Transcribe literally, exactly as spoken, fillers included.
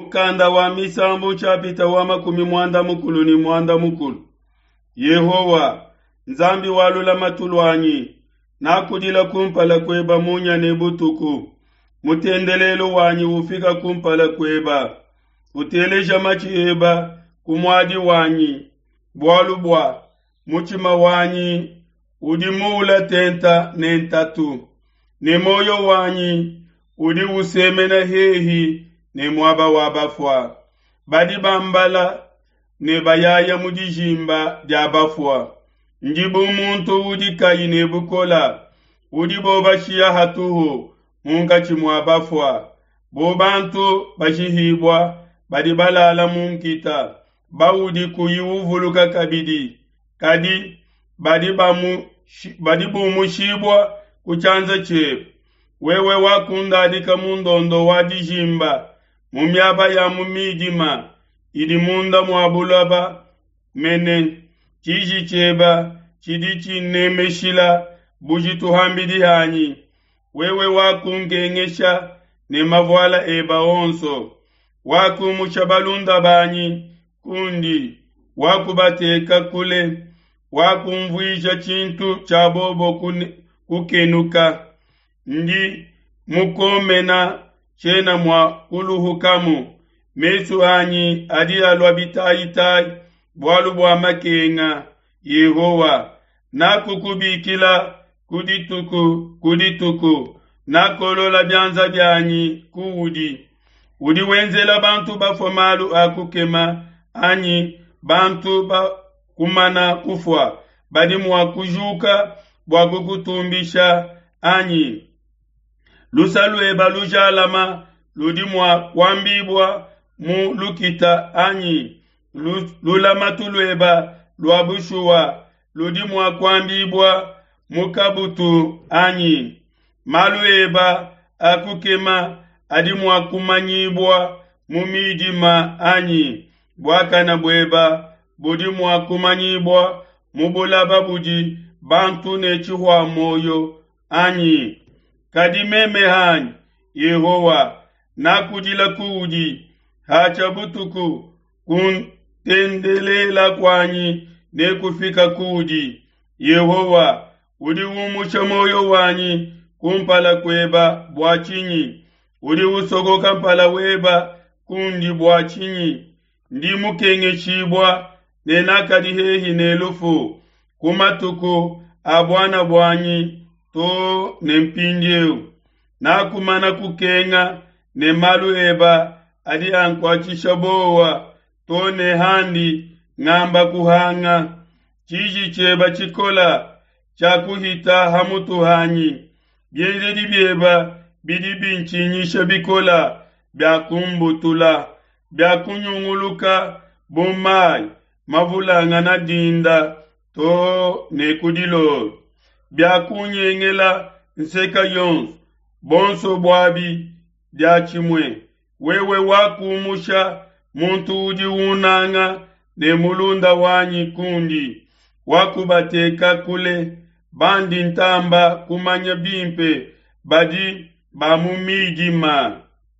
Mukanda wa Misambu nshapita wa makumi muanda mukulu ne muanda mukulu. Yehowa, Nzambi wa lulamatu luanyi, nakudila kumpala kueba munya ne butuku. Mutendelelu wanyi ufika kumpala kueba. Uteleja matshi eba ku muadi wanyi, bualu bua mutshima wanyi udi muula tenta ne ntatu, ne muoyo wanyi udi usemena hehi ne muaba wa bafua. Badi bambala ne bayaya mu dijimba dia bafua. Ndi bu muntu udi kayi ne bukola, udibo bashiya hatuhu munkatshi mua bafua, bu bantu bashihibua badi balala mu nkita, baudi kuyi uvuluka kabidi, kadi badi bamu badi bumushibua ku tshianza tshiebe. Wewe wakundadika mu ndondo wa dijimba, mu miaba ya mu midima idi munda mua buloba mene. Tshiji tshieba tshidi tshinemeshila bujitu ham'bidi hanyi. Wewe wakunkengesha ne mavuala eba onso, wakumusha balunda banyi kundi, wakubateka kule, wakunvuisha tshintu tshia bobo kukenuka. Ndi mukomena, tshiena mua kuluhukamu, mesu anyi adi alua bitayitayi bualu bua makenga. Yehowa, nakukubikila ku dituku ku dituku, nakolola bianza bianyi kuudi. Udi wenzela bantu bafua malu a kukema, anyi bantu bakumana kufua badi mua kujuka bua kukutumbisha anyi? Lusa lueba lujalama ludi mua kuambibua mu lukita anyi? Lulamatu lueba lua bushuwa ludi mua kuambibua mu kabutu anyi? Malu eba a kukema adi mua kumanyibua mu midima anyi? Buakane bueba budi mua kumanyibua mu bulaba budi bantu ne tshihua muoyo anyi? Kadi meme hanyi, Yehowa, nakudila kuudi hatshia butuku, kuntendelela kuanyi nekufika kuudi. Yehowa, udi umusha muoyo wanyi kumpala kueba bua tshinyi? Udi usokoka mpala weba kundi bua tshinyi? Ndi mukengeshibua ne nakadi hehi ne lufu ku matuku a buana buanyi to ne mpindieu. Nakumana kukenga ne malu eba adi ankuatshisha buowa to ne handi ngamba kuhanga. Tshiji tshieba tshikola tshiakuhita ha mutu hanyi, bienzedi bieba bidi bintshinyisha bikola biakumbutula, biakunyunguluka bu mai mavulangana dinda to ne ku dilolo, biakunyengela nseka yonso, bonso buabi diatshimue. Wewe wakumusha muntu udi unanga ne mulunda wanyi kundi, wakubateka kule, bandi ntamba kumanya bimpe badi ba mu midima.